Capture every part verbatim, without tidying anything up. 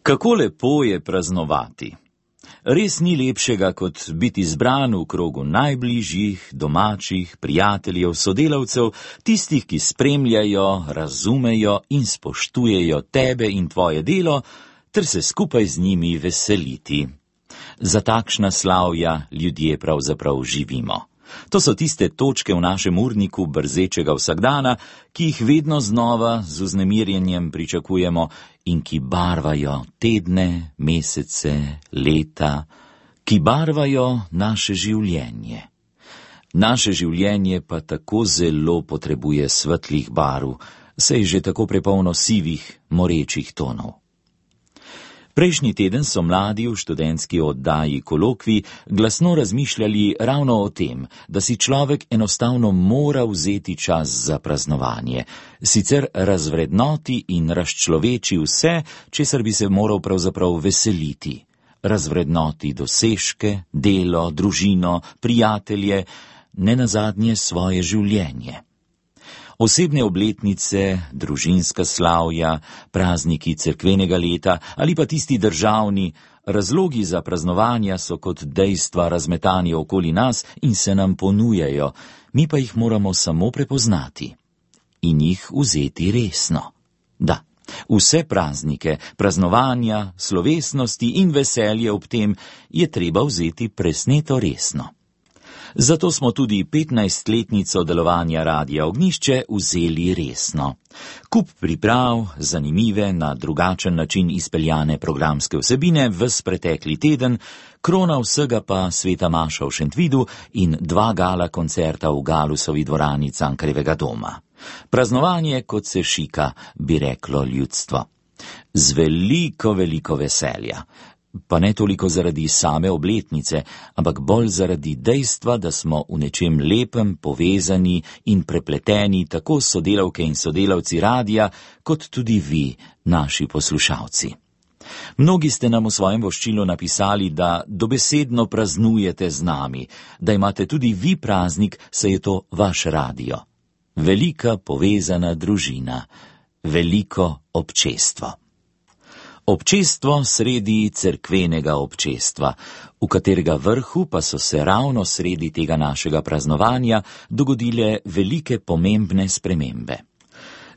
Kako lepo je praznovati. Res ni lepšega, kot biti zbran v krogu najbližjih, domačih, prijateljev, sodelavcev, tistih, ki spremljajo, razumejo in spoštujejo tebe in tvoje delo, ter se skupaj z njimi veseliti. Za takšna slavja ljudje pravzaprav živimo. To so tiste točke v našem urniku brzečega vsakdana, ki jih vedno znova z vznemirjenjem pričakujemo in ki barvajo tedne, mesece, leta, ki barvajo naše življenje. Naše življenje pa tako zelo potrebuje svetlih barv, saj je že tako prepolno sivih, morečih tonov. Prejšnji teden so mladi v študentski oddaji Kolokvij glasno razmišljali ravno o tem, da si človek enostavno mora vzeti čas za praznovanje, sicer razvrednoti in razčloveči vse, česar bi se moral pravzaprav veseliti. Razvrednoti dosežke, delo, družino, prijatelje, nenazadnje svoje življenje. Osebne obletnice, družinska slavja, prazniki cerkvenega leta ali pa tisti državni, razlogi za praznovanja so kot dejstva razmetani okoli nas in se nam ponujajo, mi pa jih moramo samo prepoznati in jih vzeti resno. Da, vse praznike, praznovanja, slovesnosti in veselje ob tem je treba vzeti presneto resno. Zato smo tudi petnajstletnico delovanja Radia Ognjišče vzeli resno. Kup priprav, zanimive, na drugačen način izpeljane programske vsebine ves pretekli teden, krona vsega pa Sveta maša v Šentvidu in dva gala koncerta v Galusovi dvorani Cankarjevega doma. Praznovanje, kot se šika, bi reklo ljudstvo. Z veliko, veliko veselja. Pa ne toliko zaradi same obletnice, ampak bolj zaradi dejstva, da smo v nečem lepem povezani in prepleteni tako sodelavke in sodelavci radia, kot tudi vi, naši poslušalci. Mnogi ste nam v svojem voščilu napisali, da dobesedno praznujete z nami, da imate tudi vi praznik, saj je to vaš radio. Velika povezana družina, veliko občestvo. Občestvo sredi cerkvenega občestva, v katerega vrhu pa so se ravno sredi tega našega praznovanja dogodile velike pomembne spremembe.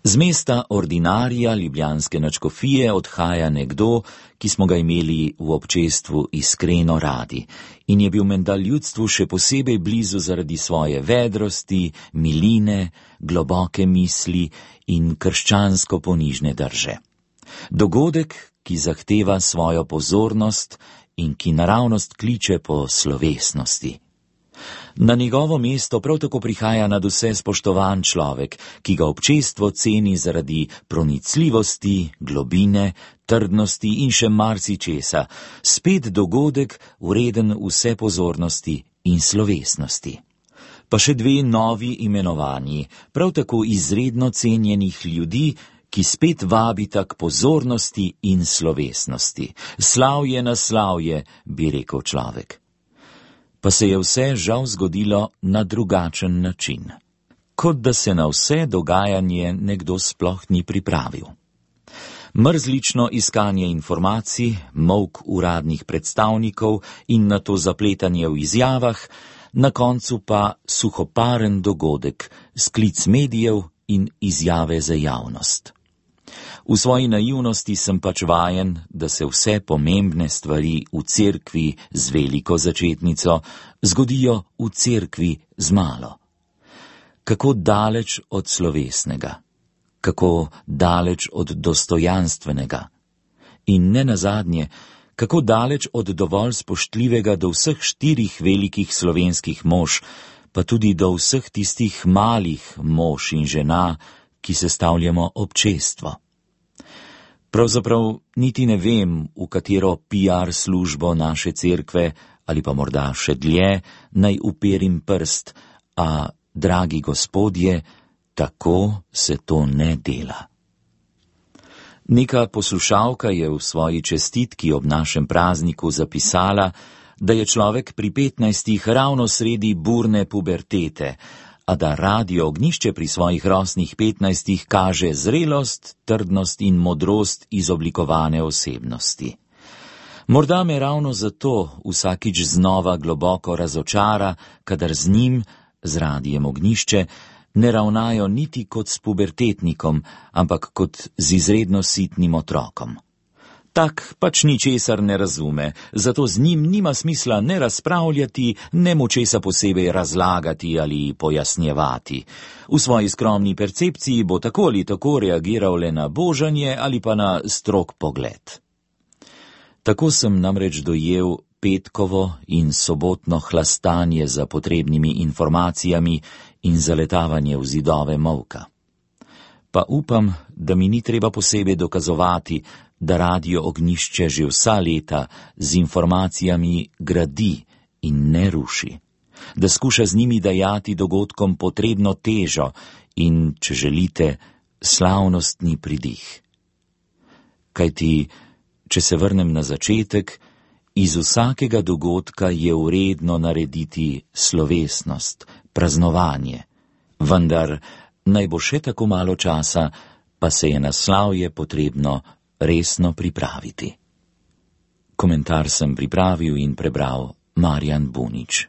Z mesta ordinarija ljubljanske nadškofije odhaja nekdo, ki smo ga imeli v občestvu iskreno radi in je bil menda ljudstvu še posebej blizu zaradi svoje vedrosti, miline, globoke misli in krščansko ponižne drže. Dogodek, ki zahteva svojo pozornost in ki naravnost kliče po slovesnosti. Na njegovo mesto prav tako prihaja nadvse spoštovan človek, ki ga občestvo ceni zaradi pronicljivosti, globine, trdnosti in še marsičesa, spet dogodek, vreden vse pozornosti in slovesnosti. Pa še dve novi imenovanji, prav tako izredno cenjenih ljudi, ki spet vabita k pozornosti in slovesnosti. Slavje na slavje, bi rekel človek. Pa se je vse žal zgodilo na drugačen način. Kot da se na vse dogajanje nekdo sploh ni pripravil. Mrzlično iskanje informacij, molk uradnih predstavnikov in nato zapletanje v izjavah, na koncu pa suhoparen dogodek, sklic medijev in izjave za javnost. V svoji naivnosti sem pač vajen, da se vse pomembne stvari v cerkvi z veliko začetnico zgodijo v cerkvi z malo. Kako daleč od slovesnega, kako daleč od dostojanstvenega in nenazadnje, kako daleč od dovolj spoštljivega do vseh štirih velikih slovenskih mož, pa tudi do vseh tistih malih mož in žena, ki sestavljamo občestvo. Pravzaprav niti ne vem, v katero P R službo naše cerkve, ali pa morda še dlje, naj uperim prst, a, dragi gospodje, tako se to ne dela. Neka poslušalka je v svoji čestitki ob našem prazniku zapisala, da je človek pri petnajstih ravno sredi burne pubertete, a da Radio Ognjišče pri svojih rosnih petnajstih kaže zrelost, trdnost in modrost izoblikovane osebnosti. Morda me ravno zato vsakič znova globoko razočara, kadar z njim, z Radiem Ognjišče, ne ravnajo niti kot s pubertetnikom, ampak kot z izredno sitnim otrokom. Tak pač ničesar ne razume, zato z njim nima smisla ne razpravljati, ne mu česa posebej razlagati ali pojasnjevati. V svoji skromni percepciji bo tako ali tako reagiral le na božanje ali pa na strog pogled. Tako sem namreč dojel petkovo in sobotno hlastanje za potrebnimi informacijami in zaletavanje v zidove molka. Pa upam, da mi ni treba posebej dokazovati, da Radio Ognjišče že vsa leta z informacijami gradi in ne ruši, da skuša z njimi dajati dogodkom potrebno težo in, če želite, slavnostni pridih. Kajti, če se vrnem na začetek, iz vsakega dogodka je vredno narediti slovesnost, praznovanje, vendar naj bo še tako malo časa, pa se je na slavje potrebno resno pripraviti. Komentar sem pripravil in prebral Marjan Bunič.